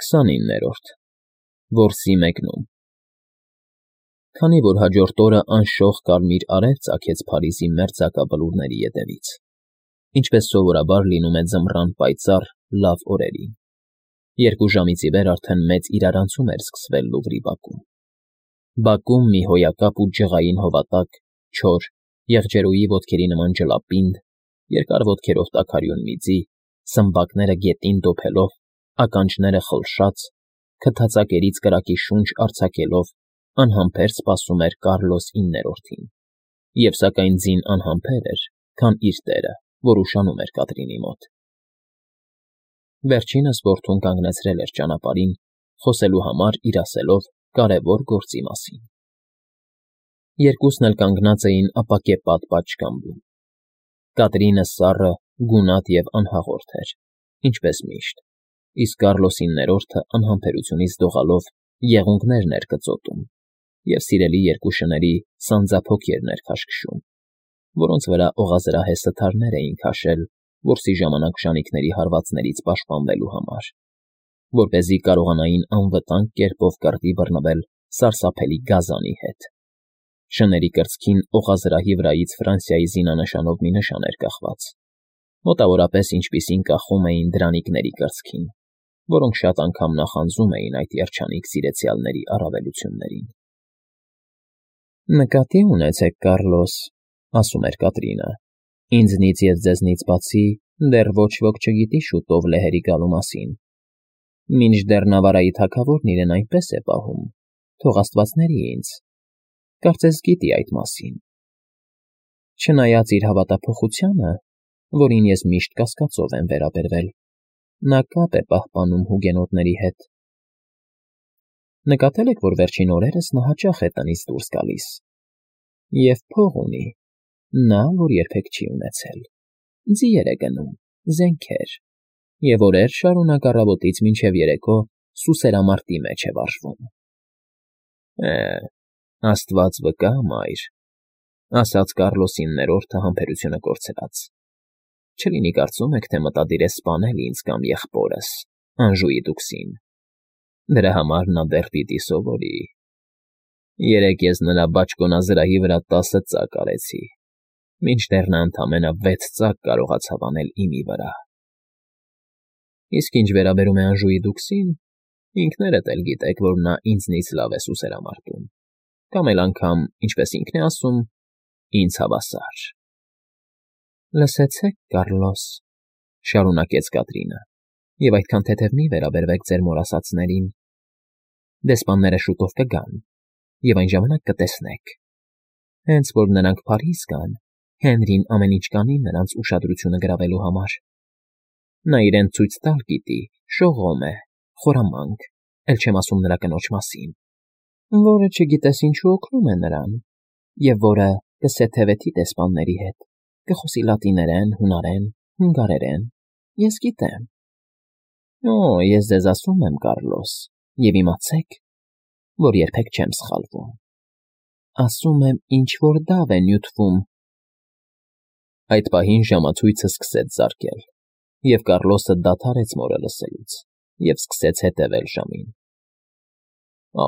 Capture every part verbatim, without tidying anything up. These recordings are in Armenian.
քսանիններորդ Որսի մեկնում Քանի որ հաջորդ օրը անշող կարմիր արև ծագեց Փարիզի մերձակա բլուրների ետևից, ինչպես սովորաբար լինում է ձմռան պայծառ, լավ օրերին, երկու ժամից ի վեր արդեն մեծ իրարանցում էր սկսվել Լուվրի բակում։ Բակում մի հոյակապ ու ջղային հովատակ, չոր, եղջերուի ոտքերի նման ջլապինդ, երկար ոտքերով տաքարյուն միծի, սմբակները գետին դոփելով, ականջները խլշած, քթածակերից կրակի շունչ արձակելով, անհամբեր սպասում էր Կառլոս իններորդին, և սակայն ձին անհամբեր էր, քան իր տերը, որ ուշանում էր Կատրինի մոտ։ Վերջինս որդուն կանգնեցրել էր ճանապարհին, խոսելու համար իր ասելով կարևոր գործի մասին։ Երկուսն էլ կանգնած էին ապակե պատ պատշգամբում։ Կատրինը սառը, գունատ և անհաղորդ էր, ինչպես միշտ, իսկ Կառլոս իններորդը անհամբերությունից դողալով եղունգներն էր կծոտում և սիրելի երկու շների սանձափոքերն էր քաշքշում, որոնց վրա օղազրահեսը թարներ էին քաշել որսի ժամանակ ժանիքների հարվածներից պաշտպանվելու համար, որպեսզի կարողանային անվտանգ կերպով կռվի բռնվել սարսափելի գազանի հետ։ Շների կրծքին օղազրահի վրայից Ֆրանսիայի զինանշանով մի նշան էր կախված, մոտավորապես ինչպիսին կախում էին դրանիկների կրծքին, որոնք շատ անգամ նախանձում էին այդ երջանիկ սիրեցյալների առավելություններին։ «Նկատի ունեցեք, Կառլոս,֊ ասում էր Կատրինը,֊ ինձնից և ձեզնից բացի դեռ ոչ ոք չգիտի շուտով լեհերի գալու մասին, մինչդեռ Նավարայի թագավորն իրեն այնպես է պահում, թող աստված ների ինձ, կարծես գիտի այդ մասին։ Չնայած իր հավատափոխությանը, որին ես միշտ կասկածով եմ վերաբերվել, նա կապ է պահպանում հուգենոտների հետ։ Նկատել եք, որ վերջին օրերս նա հաճախ է տնից դուրս գալիս, և փող ունի, նա, որ երբեք չի ունեցել, ձիեր է գնում, զենքեր, և օրեր շարունակ առավոտից մինչև երեկո սուսերամարտի մեջ է վարժվում։ ֊ Է, աստված վկա, մայր,֊ ասաց Կառլոս իններորդը համբերությունը կորցրած,֊ չլինի կարծում եք, թե մտադիր է սպանել ինձ կամ եղբորս, Անժուի տուքսին, դրա համար նա դեռ պիտի սովորի։ Երեկ ես նրա բաճկոնազրահի վրա տասը ծակ արեցի, մինչդեռ նա ընդամենը վեց ծակ կարողացավ անել իմի վրա։ Իսկ ինչ վերաբերում է Անժուի տուքսին, ինքներդ էլ գիտեք, որ նա ինձնից լավ է սուսերամարտում, կամ էլ անգամ, ինչպես ինքն է ասում, ինձ հավասար։ ֊ Լսեցեք, Կառլոս,֊ շարունակեց Կատրինը,֊ և այդքան թեթև մի վերաբերվեք ձեր մոր ասածներին. դեսպանները շուտով կգան, և այն ժամանակ կտեսնեք։ Հենց որ նրանք Փարիզ գան, Հենրին ամեն ինչ կանի նրանց ուշադրությունը գրավելու համար։ Նա իրեն ցույց տալ պիտի, շողոմ է, խորամանկ, էլ չեմ ասում նրա կնոջ մասին, որը չգիտես ինչու օգնում է նրան, և որը կսեթևեթի դեսպանների հետ, կխոսի լատիներեն, հունարեն, հունգարերեն, ես գիտեմ։ Օ, ես ձեզ ասում եմ, Կառլոս, և իմացեք, որ երբեք չեմ սխալվում։ Ասում եմ, ինչ֊որ դավ է նյութվում։ Այդ պահին ժամացույցը սկսեց զարկել, և Կառլոսը դադարեց մորը լսելուց և սկսեց հետևել ժամին։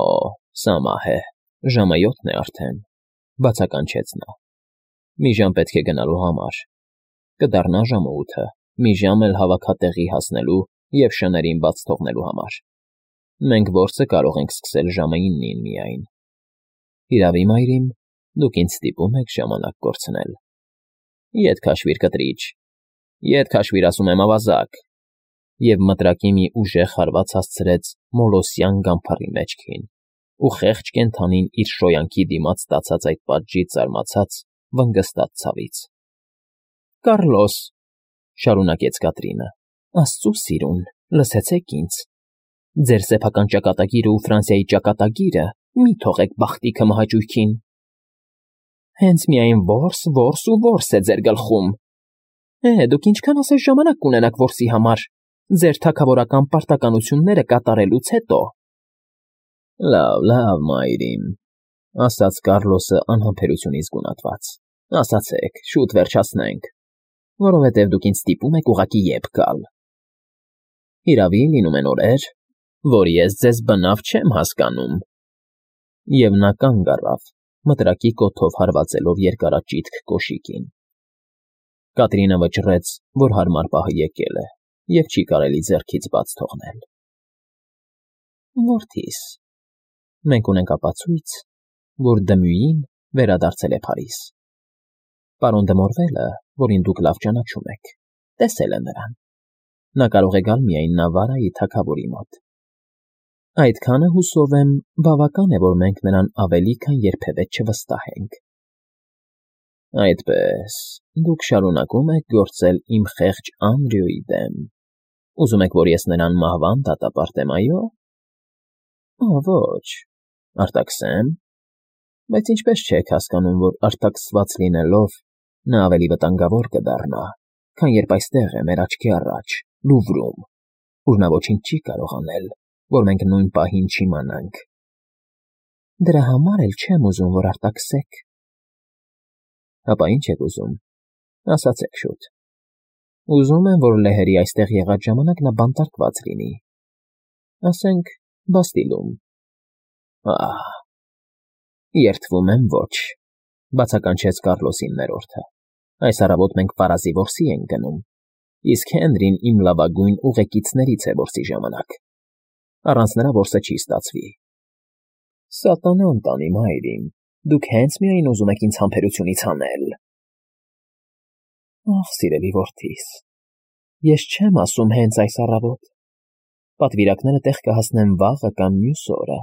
Օ, սա մահ է, ժամը յոթն է արդեն,֊ բացականչեց նա։ Մի ժամ պետք է գնալու համար, կդառնա ժամը ութը, մի ժամ էլ հավաքատեղի հասնելու և շներին բաց թողնելու համար։ Մենք որսը կարող ենք սկսել ժամը իննին միայն։ Հիրավի, մայրիկ, դուք ինձ ստիպում եք ժամանակ կորցնել։ Ետ քաշվիր, կտրիչ, ետ քաշվիր, ասում եմ, ավազակ, և մտրակի մի ուժեղ հարված հասցրեց մոլոսյան գամբարի մեջքին, ու խեղճ կենդանին իր շոյանքի դիմաց ստացած այդ պատժից զարմացած, վնգստած ցավից։ ֊ Կառլոս,֊ շարունակեց Կատրինը,֊ աստծու սիրուն, լսեցեք ինձ. ձեր սեփական ճակատագիրը ու Ֆրանսիայի ճակատագիրը մի թողեք բախտիքը մահաճույքին։ Հենց միայն որս, որս ու որս է ձեր գլխում։ Է, դուք ինչքան ասես ժամանակ կունենաք որսի համար, ձեր թագավորական պարտականությունները կատարելուց հետո։ ֊ Լավ, լավ, մայրիկ,֊ ասաց Կառլոսը անհամբերությունից գունատված,֊ ասացեք, շուտ վերջացնենք, որովհետև դուք ինձ ստիպում եք ուղղակի ետ գալ։ Հիրավի, լինում են օրեր, որ ես ձեզ բնավ չեմ հասկանում։ Եվ նա կանգ առավ, մտրակի կոթով հարվածելով երկարաճիտ կոշիկին։ Կատրինը վճռեց, որ հարմար պահը եկել է, և չի կարելի ձեռքից բաց թողնել։ Որդիս, մենք ունենք ապացույց, որ Դմյուին վերադարձել է Փարիզ։ Պարոն դե Մորվելը, որին դուք լավ ճանաչում եք, տեսել է նրան։ Նա կարող է գալ միայն Նավարայի թագավորի մոտ։ Այդքանը, հուսով եմ, բավական է, որ մենք նրան ավելի քան երբևէ չվստահենք։ Այդպես, դուք շարունակում եք գործել իմ խեղճ Անդրեուի դեմ։ Ուզում եք, որ ես նրան մահվան դատապարտեմ, այո՞։ Ո՛, ոչ, արտաքսեմ, բայց ինչպես չեք հասկանում, որ արտաքսված լինելով նա ավելի վտանգավոր կդառնա, քան երբ այստեղ է մեր աչքի առաջ, Լուվրում, ուր նա ոչինչ չի կարող անել, որ մենք նույն պահին չիմանանք։ Դրա համար էլ չեմ ուզում, որ արտաքսեք։ Հապա ինչ եք ուզում, ասացեք շուտ։ Ուզում եմ, որ լեհերի այստեղ եղած ժամանակ նա բանտարկված լինի, ասենք, Բաստիլում։ Ահ, երդվում եմ, ոչ, բացականչեց Կառլոսի ներորդը։ Այս առավոտ մենք Վարազի որսի ենք գնում, իսկ Հենրին իմ լավագույն ուղեկիցներից է որսի ժամանակ։ Առանց նրա որսը չի ստացվի։ Սատանան տանի, մայրիկ, դուք հենց միայն ուզում եք ինձ համբերությունից հանել։ Ախ, սիրելի որդիս, ես չեմ ասում հենց այս առավոտ։ Պատվիրակները տեղ կհասնեն վաղը կամ մյուս օրը։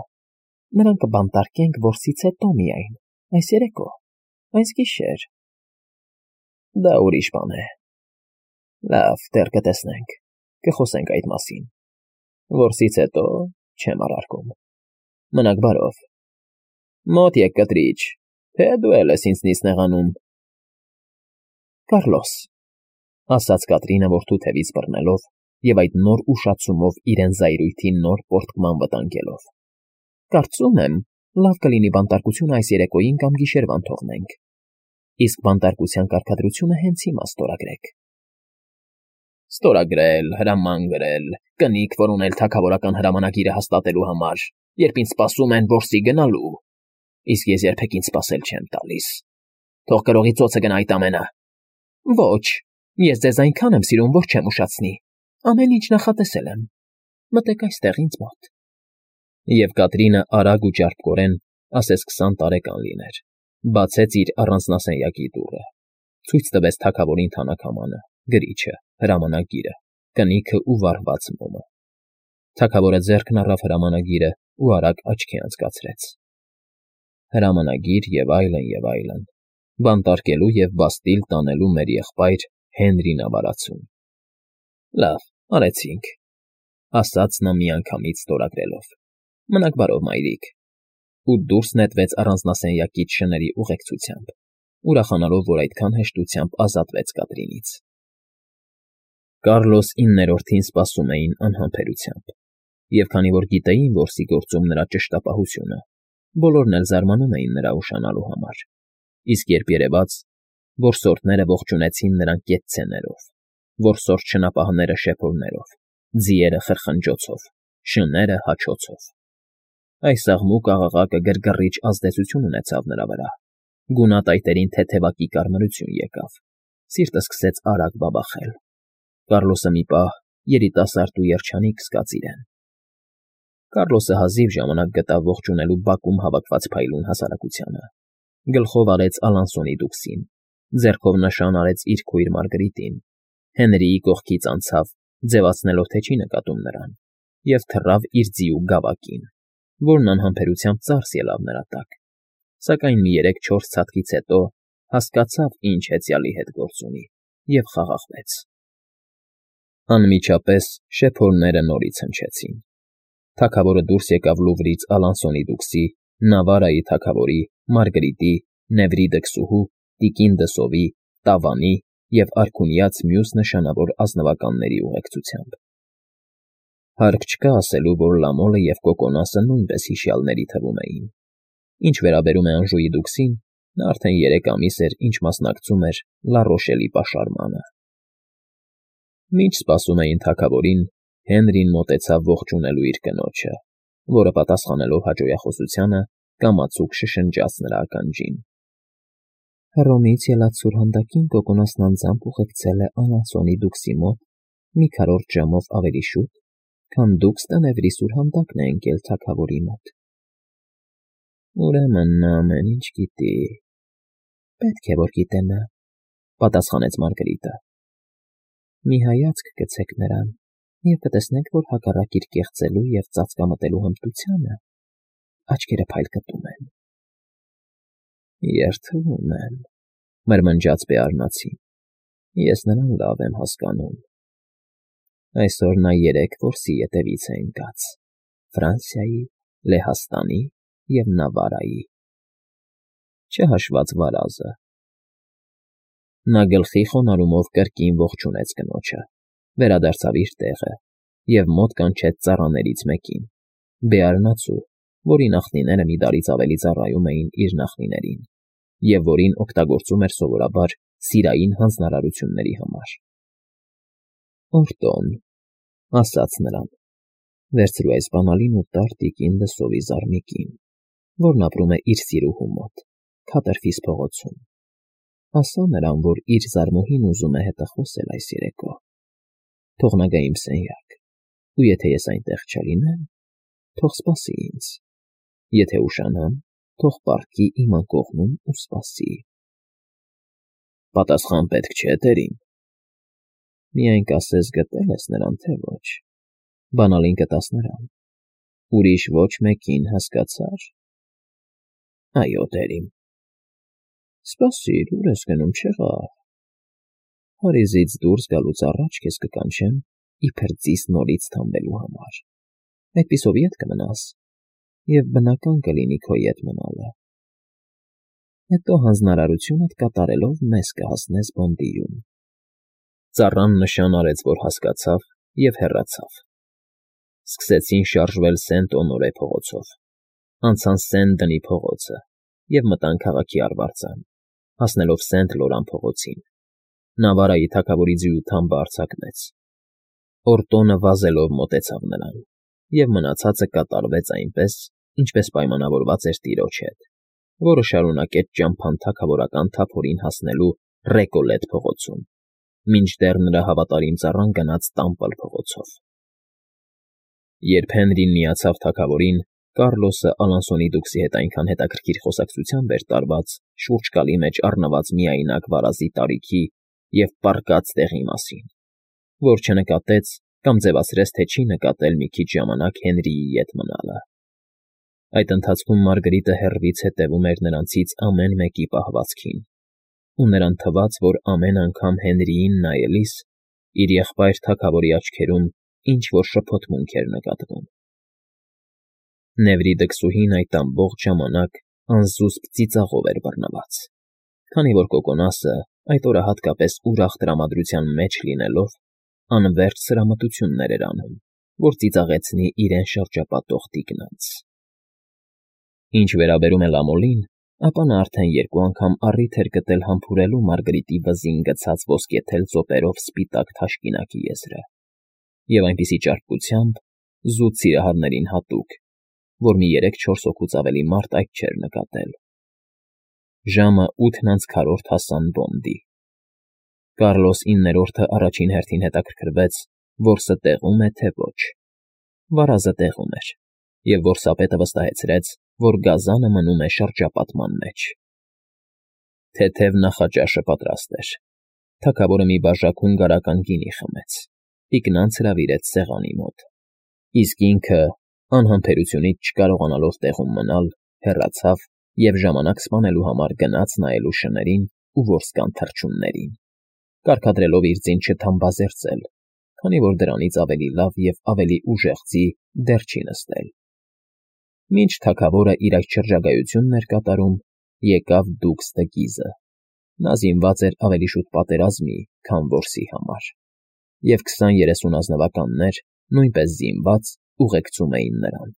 Նրանք կբանտարկենք որսից հետո միայն, այս երեկո, այս գիշեր։ Դա ուրիշ բան է։ Լավ, դեռ կտեսնենք, կխոսենք այդ մասին։ Որսից հետո չեմ առարկում։ Մնաք բարով։ Մոտ եկ կտրիչ, թե դու էլ ես ինձնից նեղանում։ Կառլոս, ասաց Կատրինը որդու թևից բռնելով և այդ նոր ուշացումով իրեն զայրույթի նոր պոռթկման վտանգելով։ Կարծում եմ, լավ կլինի բանտարկությունը այս երեկոյին կամ գիշերվան թողնենք, իսկ բանտարկության կարգադրությունը հենց հիմա ստորագրեք։ Ստորագրել, հրաման գրել, կնիկ որոնել թագավորական հրամանագիրը հաստատելու համար, երբ ինձ սպասում են որսի գնալու, իսկ ես երբեք ինձ սպասել չեմ տալիս։ Թող գրողի ծոցը գնա այդ ամենը։ Ոչ, ես ձեզ այնքան եմ սիրում, որ չեմ ուշացնի։ Ամեն ինչ նախատեսել եմ։ Մտեք այստեղ ինձ մոտ։ Եվ Կատրինը արագ ու ճարպկորեն, ասես քսան տարեկան լիներ, բացեց իր առանձնասենյակի դուռը, ցույց տվեց թագավորին թանաքամանը, գրիչը, հրամանագիրը, կնիքը ու վառված մոմը։ Թագավորը ձեռքն առավ հրամանագիրը ու արագ աչքի անցկացրեց։ Հրամանագիր և այլն, և այլն, բանտարկելու և Բաստիլ տանելու մեր եղբայր Հենրի Նավարացուն։ Լավ, արեցինք, ասաց նա միանգամից ստորագրելով։ Մնաք բարով, մայրիկ։ Ու դուրս նետվեց առանձնասենյակից շների ուղեկցությամբ, ուրախանալով, որ այդքան հեշտությամբ ազատվեց Կատրինից։ Կառլոս իններորդին սպասում էին անհամբերությամբ, և քանի որ գիտեին որսի գործում նրա ճշտապահությունը, բոլորն էլ զարմանում էին նրա ուշանալու համար, իսկ երբ երևաց, որսորդները ողջունեցին նրան կեցցեներով, որսորդ շնապահները շեփորներով, ձիերը խրխնջոցով, շները հաչոցով։ Այս աղմուկ աղաղակը գրգռիչ ազդեցություն ունեցավ նրա վրա, գունատայտերին թեթևակի կարմրություն եկավ, սիրտը սկսեց արագ բաբախել։ Կառլոսը մի պահ երիտասարդ ու երջանիկ զգաց իրեն։ Կառլոսը հազիվ ժամանակ գտավ ողջունելու բակում հավաքված փայլուն հասարակությանը, գլխով արեց Ալանսոնի դուքսին, ձեռքով նշան արեց իր քույր Մարգրիտին, Հենրիի կողքից անցավ, ձևացնելով, թե չի նկատում նրան, և թռավ իր ձիու գավակին, որն անհամբերությամբ ծարս ելավ նրա տակ, սակայն մի երեք֊չորս ցատկից հետո հասկացավ, ինչ հեծյալի հետ գործ ունի, և խաղաղվեց։ Անմիջապես շեփորները նորից հնչեցին։ Թագավորը դուրս եկավ Լուվրից Ալանսոնի դուքսի, Նավարայի թագավորի, Մարգրիտի, Նևրի դքսուհու, Տիկին դսովի, Տավանի և արքունյաց մյուս նշանավոր ազնվականների ուղեկցությամբ։ Հարկ չկա ասելու, որ Լամոլը և Կոկոնասը նույնպես հիշյալների թվում էին։ Ինչ վերաբերում է Անժուի դուքսին, նա արդեն երեք ամիս էր, ինչ մասնակցում էր Լա Ռոշելի պաշարմանը։ Մինչ սպասում էին թագավորին, Հենրին մոտեցավ ողջունելու իր կնոջը, որը պատասխանելով հաճոյախոսությանը կամացուկ շշնջաց նրա ականջին։ Հռոմից ելած սուրհանդակին Կոկոնոսն անձամբ ուղեկցել է Ալանսոնի դուքսի մոտ մի քառորդ ժամով ավելի շուտ, քան դուք Ստենևրի սուրհանդակն է ընկել թագավորի մոտ։ Ուրեմն նա ամեն ինչ գիտի։ Պետք է որ գիտենա, պատասխանեց Մարգարիտը։ Մի հայացք գցեք նրան, և կտեսնեք, որ հակառակ իր կեղծելու և ծածկամտելու հմտությանը աչքերը փայլ կտում են։ Երդվում եմ, մրմնջաց Բեարնացին, ես նրան լավ եմ հասկանում։ Այսօր նա երեք որսի ետևից է ընկած. Ֆրանսիայի, Լեհաստանի և Նավարայի, չհաշված վարազը։ Նա գլխի խոնարհումով կրկին ողջունեց կնոջը, վերադարձավ իր տեղը և մոտ կանչեց ծառաներից մեկին, Բեարնացու, որի նախնիները մի տարից ավելի ծառայում էին իր նախնիներին և որին օգտագործում էր սովորաբար սիրային հանձնարարությունների համար։ Օրտոն, ասաց նրան, վերցրու այս բանալին ու տար տիկին Դսովի զարմիկին, որն ապրում է իր սիրուհու մոտ, Քաթերֆիս փողոցում։ Ասա նրան, որ իր զարմուհին ուզում է հետը խոսել այս երեկո։ Թող նա գա իմ սենյակ, ու եթե ես այնտեղ չլինեմ, թող սպասի ինձ, եթե ուշանամ, թող պառկի իմ անկողնում ու սպասի։ Պատասխան պետք չէ, տերին։ Միայն կասես գտե՞լ ես նրան, թե ոչ։ Բանալին կտաս նրան, ուրիշ ոչ մեկին, հասկացա՞ր։ Այո, տերին։ Սպասիր, ուր ես գնում, չեղավ։ Փարիզից դուրս գալուց առաջ քեզ կկանչեմ իբր ծիս նորից թամբելու համար։ Այդպիսով ետ կմնաս, և բնական կլինի քո ետ մնալը։ Հետո հանձնարարությունդ կատարելով մեզ կհասնես Բոնդիյում։ Ծառան նշան արեց, որ հասկացավ, և հեռացավ։ Սկսեցին շարժվել Սենտ֊Օնորե փողոցով, անցան Սեն֊Դնի փողոցը և մտան քաղաքի արվարձան, հասնելով Սենտ֊Լորան փողոցին։ Նավարայի թագավորի ձիու թամբը արձակվեց։ Օրտոնը վազելով մոտեցավ նրան, և մնացածը կատարվեց այնպես, ինչպես պայմանավորված էր տիրոջ հետ, որը շարունակեց ճամփան թագավորական թափորին հասնելու Ռեկոլետ փողոցում, մինչդեռ նրա հավատարիմ ծառան գնաց Տամպլ փողոցով։ Երբ Հենրին միացավ թագավորին, Կառլոսը Ալանսոնի դուքսի հետ այնքան հետաքրքիր խոսակցությամբ էր տարված շուրջկալի մեջ առնված միայնակ վարազի տարիքի և պառկած տեղի մասին, որ չնկատեց կամ ձևացրեց, թե չի նկատել մի քիչ ժամանակ Հենրիի ետ մնալը։ Այդ ընթացքում Մարգարիտը հեռվից հետևում էր նրանցից ամեն մեկի պահվածքին, ու նրան թվաց, որ ամեն անգամ Հենրիին նայելիս իր եղբայր թագավորի աչքերում ինչ֊որ շփոթմունք էր նկատվում։ Նևրի դքսուհին այդ ամբողջ ժամանակ անզուսպ ծիծաղով էր բռնված, քանի որ Կոկոնասը այդ օրը հատկապես ուրախ տրամադրության մեջ լինելով, անվերջ սրամտություններ էր անում, որ ծիծաղեցնի իրեն շրջապատող տիկնանց։ Ինչ վերաբերում է Լամոլին, ապա նա արդեն երկու անգամ առիթ էր գտել համբուրելու Մարգարիտի վզին գցած ոսկեթել ծոպերով սպիտակ թաշկինակի եզրը, և այնպիսի ճարպկությամբ, զուտ սիրահարներին հատուկ, որ մի երեք֊չորս հոգուց ավելի մարդ այդ չէր նկատել։ Ժամը ութն անց քառորդ հասան Բոնդի։ Կառլոս իններորդը առաջին հերթին հետաքրքրվեց, որսը տեղո՞ւմ է, թե ոչ։ Վարազը տեղում էր, և որսապետը վստահեցրեց, որ գազանը մնում է շրջապատման մեջ։ Թեթև նախաճաշը պատրաստ էր։ Թագավորը մի բաժակ հունգարական գինի խմեց, տիկնանց հրավիրեց սեղանի մոտ, իսկ ինքը, անհամբերությունից չկարողանալով տեղում մնալ, հեռացավ և ժամանակ սպանելու համար գնաց նայելու շներին ու որսկան թռչուններին, կարգադրելով իր ձին չթամբազերծել, քանի որ դրանից ավելի լավ և ավելի ուժեղ ձի դեռ չի նստել։ Մինչ թագավորը իր այդ շրջագայությունն էր կատարում, եկավ դուքս դը Գիզը։ Նա զինված էր ավելի շուտ պատերազմի, քան որսի համար, և քսան֊երեսուն ազնվականներ, նույնպես զինված, ուղեկցում էին նրան։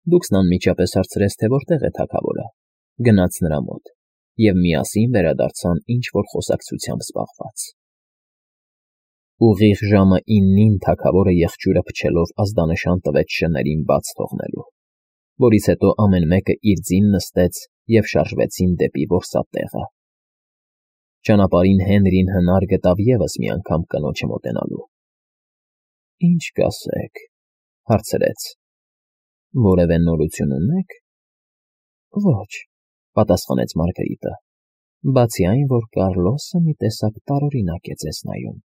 Դուքսն անմիջապես հարցրեց, թե որտեղ է թագավորը, գնաց նրա մոտ, և միասին վերադարձան ինչ֊որ խոսակցությամբ զբաղված։ Ուղիղ ժամը իննին թագավորը եղջյուրը փչելով ազդանշան տվեց շներին բաց թողնելու, որից հետո ամեն մեկը իր ձին նստեց և շարժվեցին դեպի որսատեղը։ Ճանապարհին Հենրին հնար գտավ ևս մի անգամ կնոջը մոտենալու։ ֊ Ի՞նչ կասեք,֊ հարցրեց,֊ որևէ նորություն ունե՞ք։ ֊ Ոչ,֊ պատասխանեց Մարգարիտը,֊ բացի այն, որ Կառլոսը մի տեսակ տարօրինակ է ձեզ նայում։ ֊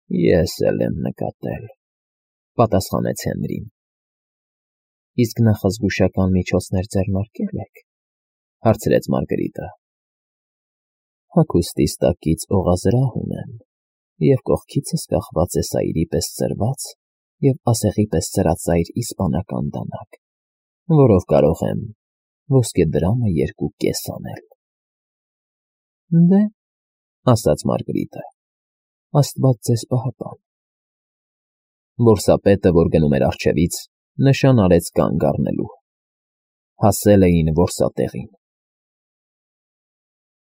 Ես էլ եմ նկատել,֊ պատասխանեց Հենրին։ ֊ Իսկ նախազգուշական միջոցներ ձեռնարկե՞լ եք,֊ հարցրեց Մարգարիտը։ ֊ Հագուստիս տակից օղազրահ ունեմ, և կողքիցս կախված է սայրի պես ծրված և ասեղի պես սրածայր իսպանական դանակ, որով կարող եմ ոսկեդրամը երկու կես անել։ ֊ Դե,֊ ասաց Մարգարիտը,֊ աստված ձեզ պահապան։ Որսապետը, որ գնում էր առջևից, նշան արեց կանգ առնելու։ Հասել էին որսատեղին։